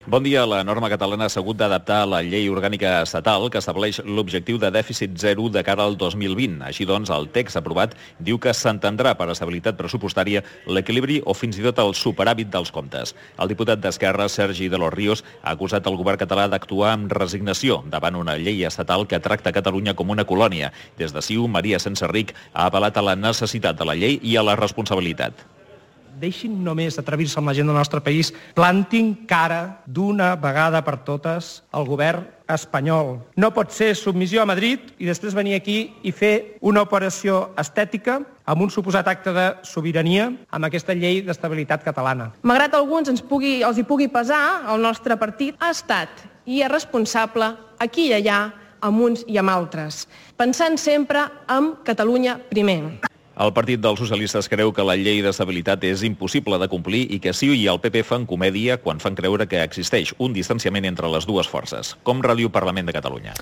Bon dia. La norma catalana s'ha hagut d'adaptar a la llei orgànica estatal que estableix l'objectiu de dèficit zero de cara al 2020. Així doncs, el text aprovat diu que s'entendrà per estabilitat pressupostària l'equilibri o fins i tot el superàvit dels comptes. El diputat d'Esquerra, Sergi de los Ríos, ha acusat el govern català d'actuar amb resignació davant una llei estatal que tracta Catalunya com una colònia. Des de CiU, Maria Senserrich ha apel·lat a la necessitat de la llei i a la responsabilitat. Deixin només atrevir-se amb la gent del nostre país, plantin cara d'una vegada per totes al govern espanyol. No pot ser submissió a Madrid i després venir aquí i fer una operació estètica amb un suposat acte de sobirania amb aquesta llei d'estabilitat catalana. Malgrat a alguns els hi pugui pesar, el nostre partit ha estat i és responsable aquí i allà, amb uns i amb altres, pensant sempre en Catalunya primer. El Partit dels Socialistes creu que la llei d'estabilitat és impossible de complir i que CiU i el PP fan comèdia quan fan creure que existeix un distanciament entre les dues forces. Com radiu Parlament de Catalunya.